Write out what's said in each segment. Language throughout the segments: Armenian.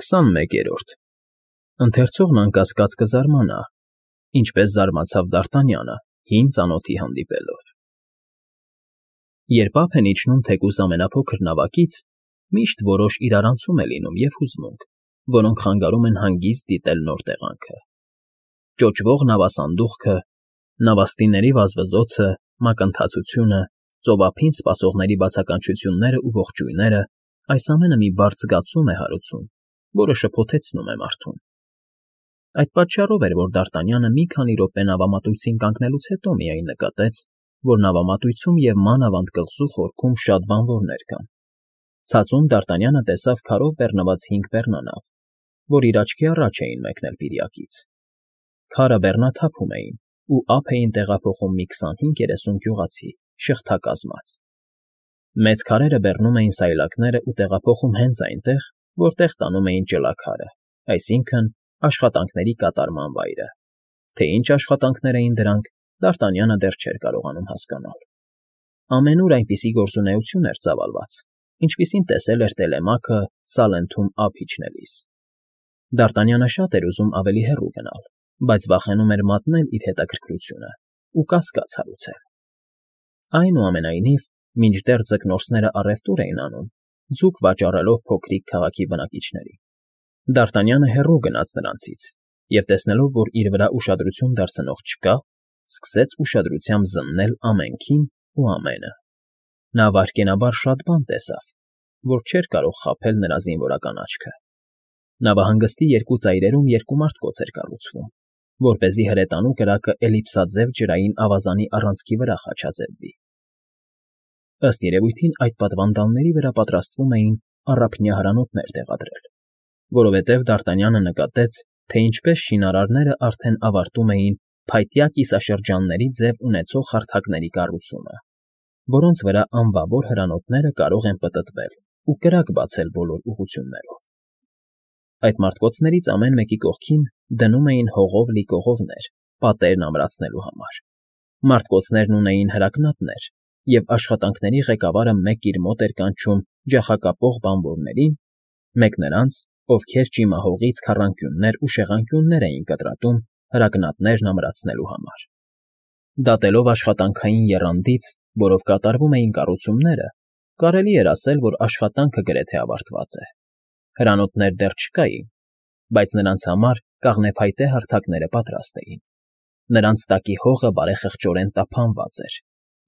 21-րդ Ընթերցողն անկասկած կզարմանա, ինչպես զարմացավ Դ'Արտանյանը, հին ծանոթի հանդիպելով։ Երբ ափ են իջնում թեկուզ ամենափոքր նավակից, միշտ որոշ իրարանցում է լինում և հուզմունք, որոնք խանգարում են հանգիստ դիտել նոր տեղանքը։ Ճոճվող նավասանդուղքը, նավաստիների վազվզոցը, մակընթացությունը, ծովափին սպասողների բացականչություններն ու ողջույնները, այս ամենը մի բարդ զգացում է հարուցում, որը շփոթեցնում է մարդուն։ Այդ պատճառով էր, որ Դ'Արտանյանը մի քանի րոպե նավամատույցին կանգնելուց հետո միայն նկատեց, որ նավամատույցում և մանավանդ կղզու խորքում շատ բանվորներ կան։ Ցածում Դ'Արտանյանը տեսավ քարով բեռնված 5 բեռնանավ, որ իր աչքի առաջ էին մեկնել Բիրիակից։ Քարը բեռնաթափում էին ու ափ էին տեղափոխում մի 25-30 գյուղացի, շղթակազմած։ Մեծ քարերը բեռնում էին սայլակները ու տեղափոխում հենց այնտեղ, որտեղ տանում էին ճլաքարը, այսինքն՝ աշխատանքների կատարման վայրը։ Թե ինչ աշխատանքներ էին դրանք, Դ'Արտանյանը դեռ չէր կարողանում հասկանալ։ Ամենուր այնպիսի գործունեություն էր ծավալված, ինչպիսին տեսել էր Տելեմաքը Սալենթում ափ իջնելիս։ Դ'Արտանյանը շատ էր ուզում ավելի հեռու գնալ, բայց վախենում էր մատնել իր հետաքրքրությունը ու կասկած հարուցել։ Այնուամենայնիվ, մինչդեռ ձկնորսները առևտուր էին անում, ձուկ վաճառելով փոքրիկ քաղաքի բնակիչներին, Դ'Արտանյանը հեռու գնաց նրանցից և, տեսնելով, որ իր վրա ուշադրություն դարձնող չկա, սկսեց ուշադրությամբ զննել ամենքին ու ամենը։ Նա վայրկենաբար շատ բան տեսավ, որ չէր կարող խաբել նրա զինվորական աչքը։ Նավահանգստի երկու ծայրերում երկու մարտկոց էր կառուցվում, որպեսզի հրետանու կրակը էլիպսաձև ջրային ավազանի առանցքի վրա խաչաձևվի։ Ըստ երևույթին այդ պատվանդանների վրա պատրաստվում էին առափնյա հրանոթներ տեղադրել, որովհետև Դ'Արտանյանը նկատեց, թե ինչպես շինարարները արդեն ավարտում էին փայտյա կիսաշրջանների ձև ունեցող հարթակների կառուցումը, որոնց վրա անբավոր հրանոթները կարող են պտտվել ու կրակ բացել բոլոր ուղղություններով։ Այդ մարտկոցներից ամեն մեկի կողքին դնում էին հողով լի կողովներ, պատերն ամրացնելու համար։ Մարտկոցներն ունեին հրակնատներ, և աշխատանքների ղեկավարը մեկ իր մոտ էր կանչում ջախակապող բանվորներին, մեկ նրանց, ովքեր ճիմահողից քառանկյուններ ու շեղանկյուններ էին կտրատում հրակնատներն ամրացնելու համար։ Դատելով աշխատանքային եռանդից, որով կատարվում էին կառուցումները, կարելի էր ասել, որ աշխատանքը գրեթե ավարտված է։ Հրանոթներ դեռ չկային, բայց նրանց համար կաղնեփայտե հարթակները պատրաստ էին։ Նրանց տակի հողը բարեխղճորեն տափանված էր,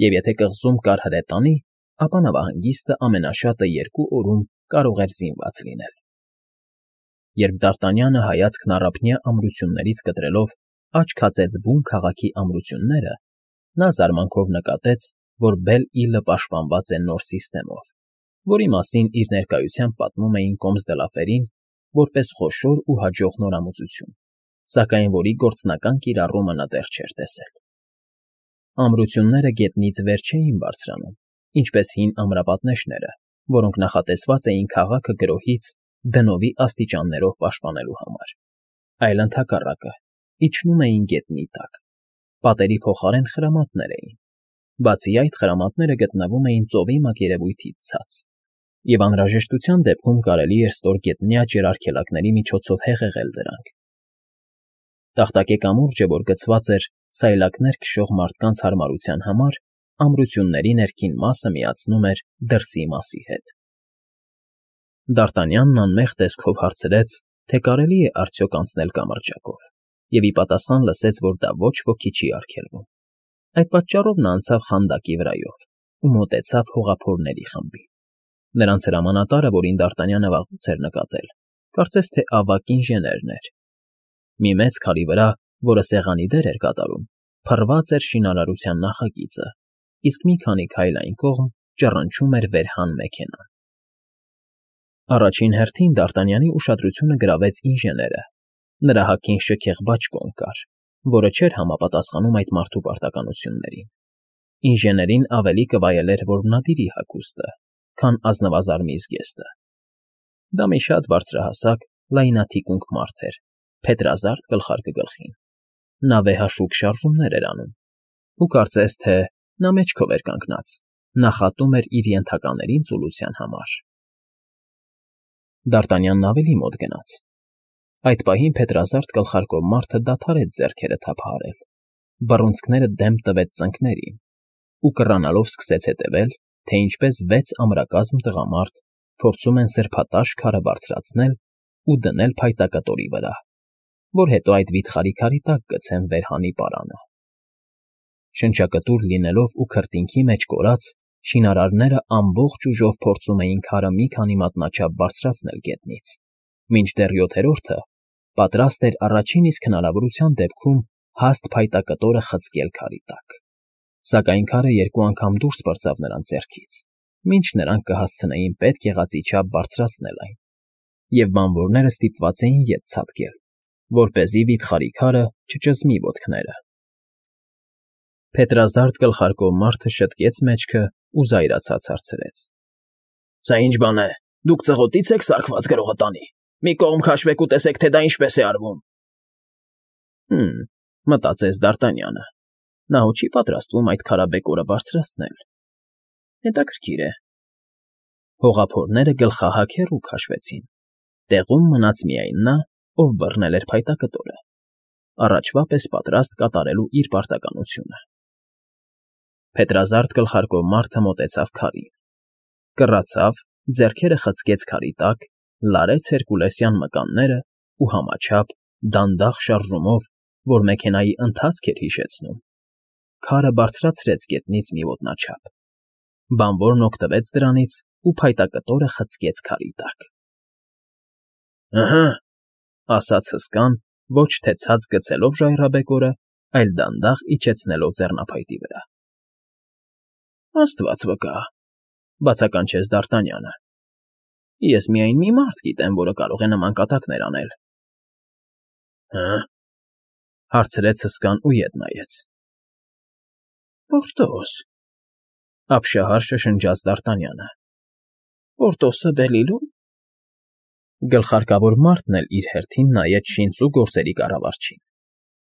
և եթե կղզում կար հրետանի, ապա նավահանգիստը ամենաշատը 2 օրում կարող էր զինված լինել։ Երբ Դ'Արտանյանը հայացքն առափնյա ամրություններից կտրելով աչք հացեց բուն քաղաքի ամրությունները, նա զարմանքով նկատեց, որ Բել֊Իլը պաշտպանված է նոր սիստեմով, որի մասին իր ներկայությամբ պատմում էին Կոմս֊դը֊Լաֆերին որպես խոշոր ու հաջող նորամուծություն, սակայն որի գործնական կիրառումը նա դեռ չէր տեսել։ Ամրությունները գետնից վեր չէին բարձրանում, ինչպես հին ամրապատնեշները, որոնք նախատեսված էին քաղաքը գրոհից դնովի աստիճաններով պաշտպանելու համար, այլ ընդհակառակը, իջնում էին գետնի տակ։ Պատերի փոխարեն խրամատներ էին։ Բացի այդ, խրամատները գտնվում էին ծովի մակերևույթից ցած, և անհրաժեշտության դեպքում կարելի էր ստորգետնյա ջրարգելակների միջոցով հեղեղել դրանք։ Տախտակե կամուրջը, որ գցված էր սայլակներ քշող մարդկանց հարմարության համար, ամրությունների ներքին մասը միացնում էր դրսի մասի հետ։ Դ'Արտանյանն անմեղ տեսքով հարցրեց, թե կարելի է արդյոք անցնել կամրջակով, և ի պատասխան լսեց, որ դա ոչ ոքի չի արգելվում։ Այդ պատճառով նա անցավ խանդակի վրայով ու մոտեցավ հողափորների խմբին։ Նրանց հրամանատարը, որին Դ'Արտանյանը վաղուց էր նկատել, կարծես թե ավագ ինժեներն էր։ Մի մեծ քարի վրա, որը սեղանի դեր էր կատարում, փռված էր շինարարության նախագիծը, իսկ մի քանի քայլ այն կողմ ճռնչում էր վերհան մեքենան։ Առաջին հերթին Դ'Արտանյանի ուշադրությունը գրավեց ինժեները։ Նրա հագին շքեղ բաճկոն կար, որը չէր համապատասխանում այդ մարդու պարտականություններին։ Ինժեներին ավելի կվայելեր որմնադիրի հագուստը, քան ազնվազարմի զգեստը։ Դա մի շատ բարձրահասակ, լայնաթիկունք մարդ էր, փետրազարդ գլխարկը գլխին։ Նա վեհաշուկ շարժումներ էր անում, ու կարծես թե նա մեջքով էր կանգնած, նախատում էր իր ենթականերին ծուլության համար։ Դարտանյանն ավելի մոտ գնաց։ Այդ պահին փետրազարդ գլխարկով մարդը դադարեց ձեռքերը թափահարել, բռունցքները դեմ տվեց ծնկներին ու կռանալով սկսեց հետևել, թե ինչպես 6 ամրակազմ տղամարդ փորձում են սրբատաշ քարը բարձրացնել ու դնել փայտակտորի վրա, որ հետո այդ վիթխարի քարի տակ գցեն վեր հանի պարանը։ Շնչակտուր լինելով ու քրտինքի մեջ կորած, շինարարները ամբողջ ուժով փորձում էին քարը մի քանի մատնաչափ բարձրացնել գետնից, մինչդեռ 7-րդը պատրաստ էր առաջին իսկ հնարավորության դեպքում հաստ փայտակտորը խցկել քարի տակ, սակայն քարը 2 անգամ դուրս պրծավ նրանց ձեռքից, մինչ նրանք կհասցնեին պետք եղածի չափ բարձրացնել այն, և բանվորները ստիպված էին ետ ցատկել, որպեսզի վիթխարի քարը չճզմի ոտքները։ Փետրազարդ գլխարկով մարդը շտկեց մեջքը ու զայրացած հարցրեց. «Սա ի՞նչ բան է, դուք ծղոտի՞ց եք սարքված գրողը տանի, մի կողմ քաշվեք ու տեսեք, թե դա ինչպես է արվում»։ Մտածեց Դարտանյանը, նա հո չի պատրաստվում այդ քարաբեկորը բարձրացնել։ Հետաքրքիր է։ Հողափորները գլխահակ հեռու քաշվեցին, տեղում մնաց միայն նա, ով բռնել էր փայտակտորը, առաջվա պես պատրաստ կատարելու իր պարտականությունը։ Փետրազարդ գլխարկով մարդը մոտեցավ քարին, կռացավ, ձեռքերը խցկեց քարի տակ, լարեց հերկուլեսյան մկանները ու համաչափ, դանդաղ շարժումով, որ մեքենայի ընթացք էր հիշեցնում, քարը բարձրացրեց գետնից մի ոտնաչափ։ Բանվորն օգտվեց դրանից ու փայտակտորը խցկեց քարի տակ։ «Ըհը», ասաց հսկան, ոչ թե ցած գցելով ժայռաբեկորը, այլ դանդաղ իջեցնելով ձեռնափայտի վրա։ «Աստված վկա», բացականչեց Դարտանյանը։ «Ես միայն մի մարդ գիտեմ, որը կարող է նման կատակներ անել»։ «Հը՞», հարցրեց հսկան ու ետ նայեց։ «Պորտոս», ապշահար շշնջաց Դարտանյանը։ «Պորտոսը Բելիլում»։ Գլխարկավոր մարդն էլ իր հերթին նայեց շինծու գործերի կառավարչին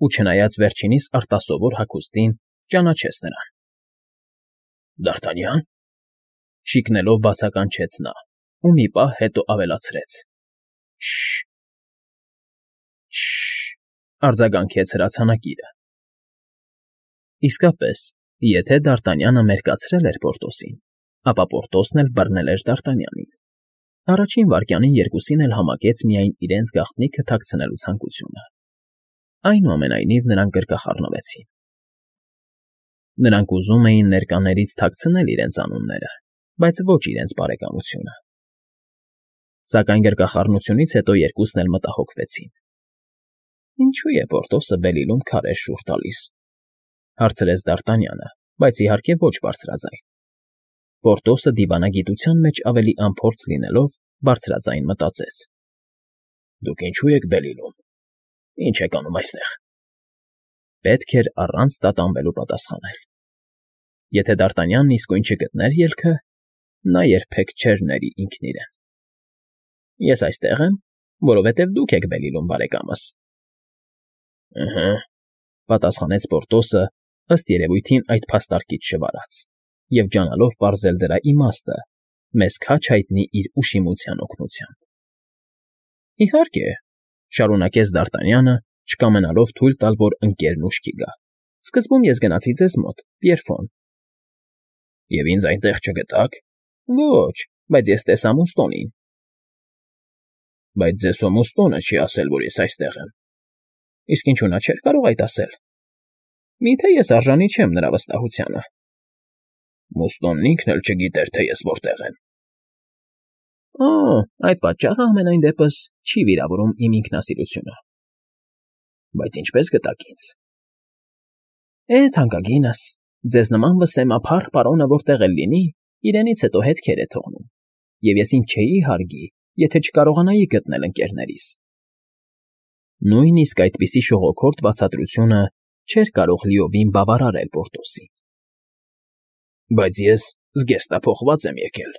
ու չնայած վերջինիս արտասովոր հագուստին, ճանաչեց նրան։ «Դարտանյա՞ն», շիկնելով բացականչեց նա ու մի պահ հետո ավելացրեց. «Շ֊շ֊շ», արձագանքեց հրացանակիրը։ Իսկապես, եթե Դարտանյանը մերկացրել էր Պորտոսին, ապա Պորտոսն էլ բռնել էր Դարտանյանին։ Առաջին վայրկյանին երկուսին էլ համակեց միայն իրենց գաղտնիքը թաքցնելու ցանկությունը։ Այնուամենայնիվ նրանք գրկախառնվեցին։ Նրանք ուզում էին ներկաներից թաքցնել իրենց անունները, բայց ոչ իրենց բարեկամությունը։ Սակայն գրկախառնությունից հետո երկուսն էլ մտահոգվեցին։ «Ինչու է Պորտոսը Բելիլում քարեր շուռ տալիս», հարցրեց Դարտանյանը, բայց իհարկե ոչ բարձրաձայն։ Պորտոսը դիվանագիտության մեջ ավելի անփորձ լինելով, բարձրաձայն մտածեց. «Դուք ինչու եք Բելիլում, ինչ եք անում այստեղ»։ Պետք էր առանց տատանվելու պատասխանել։ Եթե Դարտանյանն իսկույն չգտներ ելքը, նա երբեք չէր ների ինքն իրեն։ «Ես այստեղ եմ, որովհետև դուք եք Բելիլում, բարեկամս»։ «Ըհը», պատասխանեց Պորտոսը, ըստ երևույթին այդ փաստարկից չվարած, և ջանալով պարզել դրա իմաստը, մեզ քաջ հայտնի իր ուշիմության օգնությամբ։ «Իհարկե», շարունակեց Դարտանյանը, չկամենալով թույլ տալ, որ ընկերն ուշքի գա։ «Սկզբում ես գնացի ձեզ մոտ, Պիերֆոն»։ «Եվ ինձ այնտեղ չգտաք»։ «Ոչ, բայց ես տեսա Մուստոնին»։ «Բայց ձեզ հո Մուստոնը չի ասել, որ ես այստեղ եմ»։ «Իսկ ինչու նա չէր կարող այդ ասել»։ «Մի՞թե ես արժանի չեմ նրա վստահությանը»։ «Մուստոնն ինքն էլ չգիտեր, թե ես որտեղ եմ»։ «Օ, այդ պատճառը համենայն դեպս չի վիրավորում իմ ինքնասիրությունը»։ «Բայց ինչպես գտաք ինձ»։ Թանկագինս, ձեզ նման վսեմափառ պարոնը որտեղ էլ լինի, իրենից հետո հետքեր է թողնում, և ես ինձ չէի հարգի, եթե չկարողանայի գտնել ընկերներիս։ Նույնիսկ այդպիսի շողոքորթ բացատրությունը չէր կարող լիովին բավարարել Պորտոսին։ «Բայց ես զգեստափոխված եմ եկել,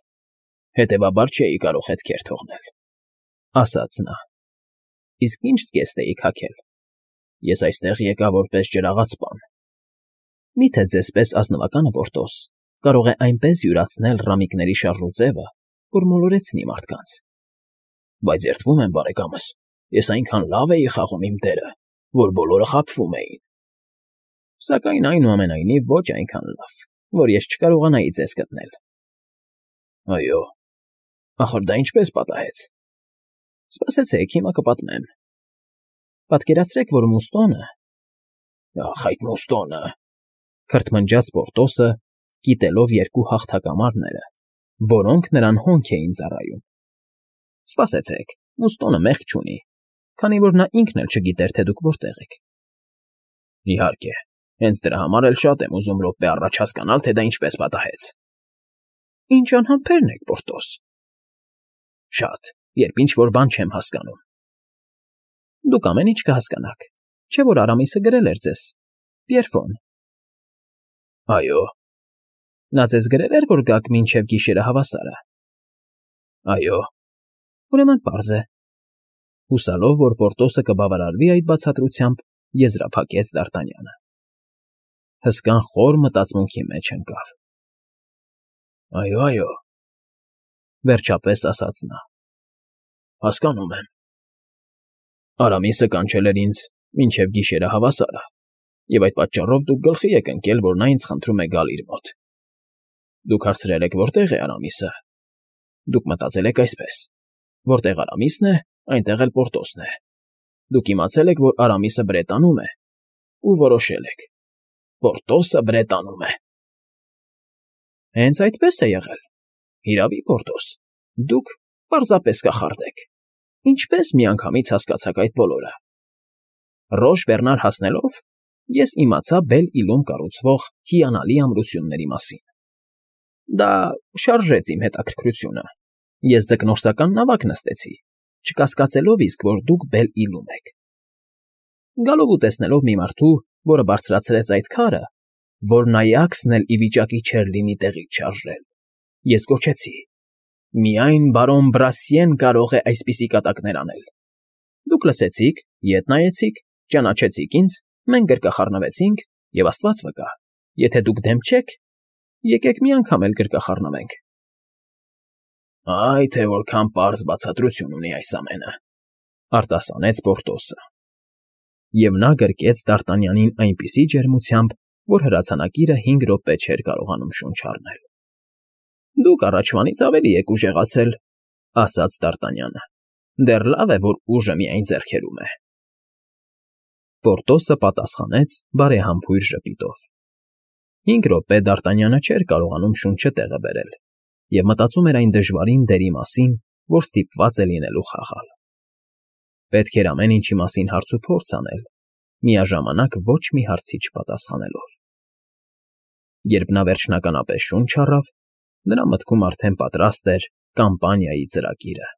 հետևաբար չէի կարող հետքեր թողնել», ասաց նա։ «Իսկ ի՞նչ զգեստ էիք հագել»։ «Ես այստեղ եկա որպես ջրաղացպան»։ «Մի՞թե ձեզ պես ազնվականը, Պորտոս, կարող է այնպես յուրացնել ռամիկների շարժուձևը, որ մոլորեցնի մարդկանց»։ Բայց երդվում եմ, բարեկամս, ես այնքան լավ էի խաղում իմ դերը, որ բոլորը խաբվում էին։ Սակայն այնուամենայնիվ ոչ այնքան լավ, որ ես չկարողանայի ձեզ գտնել։ Այո, ախր դա ինչպես պատահեց։ Սպասեցեք, հիմա կպատմեմ։ Պատկերացրեք, որ Մուստոնը… Ախ, այդ Մուստոնը… Քրթմնջաց Պորտոսը, կիտելով երկու հաղթակամարները, որոնք նրան հոնք էին ծառայում։ Սպասեցեք, Մուստոնը մեղք չունի, քանի որ նա ինքն էլ չգիտեր, թե դուք որտեղ եք։ Իհարկե, հենց դրա համար էլ շատ եմ ուզում րոպե առաջ հասկանալ, թե դա ինչպես պատահեց։ Ինչ անհամբերն եք, Պորտոս։ Շատ, երբ ինչ-որ բան չեմ հասկանում։ Դուք ամեն ինչ կհասկանաք, չէ՞ որ Արամիսը գրել էր ձեզ, Պիերֆոն։ Այո։ Նա ձեզ գրել էր, որ գաք մինչև գիշերը հավասարը։ Այո։ Ուրեմն պարզ է։ Հուսալով, որ Պորտոսը կբավարարվի այդ բացատրությամբ, եզրափակեց Դ'Արտանյանը։ Հսկան խոր մտածմունքի մեջ ընկավ։ Այո, վերջապես ասաց նա։ Հասկանում եմ։ Արամիսը կանչել էր ինձ մինչև գիշերը հավասարը, և այդ պատճառով դուք գլխի եք ընկել, որ նա ինձ խնդրում է գալ իր մոտ։ Դուք հարցրել եք, որտեղ է Արամիսը։ Դուք մտածել եք այսպես. որտեղ Արամիսն է, այնտեղ էլ Պորտոսն է։ Դուք իմացել եք, որ Արամիսը Բրետանում է, ու որոշել եք. Պորտոսը Բրետանում է։ Հենց այդպես է եղել։ Հիրավի, Պորտոս, դուք պարզապես կախարդ եք։ Ինչպես միանգամից հասկացաք այդ բոլորը։ Ռոշ Բեռնար հասնելով, ես իմացա Բել֊Իլում կառուցվող հիանալի ամրությունների մասին։ Դա շարժեց իմ հետաքրքրությունը։ Ես ձկնորսական նավակ նստեցի, չկասկածելով իսկ, որ դուք Բել֊Իլում եք։ Գալով ու տեսնելով մի մարդու, որը բարձրացրեց այդ քարը, որ Նայաքսն էլ ի վիճակի չէր լինի տեղից շարժել, ես գոչեցի. միայն բարոն Բրասիեն կարող է այսպիսի կատակներ անել։ Դուք լսեցիք, ետ նայեցիք, ճանաչեցիք ինձ, մենք գրկախառնվեցինք, և Աստված վկա, եթե դուք դեմ չեք, եկեք մի անգամ էլ գրկախառնվենք։ Այ թե որքան պարզ բացատրություն ունի այս ամենը, արտասանեց Պորտոսը։ Եվ նա գրկեց Դ'Արտանյանին այնպիսի ջերմությամբ, որ հրացանակիրը 5 րոպե չէր կարողանում շունչ առնել։ Դուք առաջվանից ավելի եք ուժեղացել, ասաց Դ'Արտանյանը։ Դեռ լավ է, որ ուժը միայն ձեռքերում է։ Պորտոսը պատասխանեց բարեհամբույր ժպիտով։ 5 րոպե Դ'Արտանյանը չէր կարողանում շունչը տեղը բերել և մտածում էր այն դժվարին դերի մասին, որ ստիպված է լինելու խաղալ։ Պետք էր ամեն ինչի մասին հարց ու փորձ անել, միաժամանակ ոչ մի հարցի չպատասխանելով։ Երբ նա վերջնականապես շունչ առավ, նրա մտքում արդեն պատրաստ էր կամպանիայի ծրագիրը։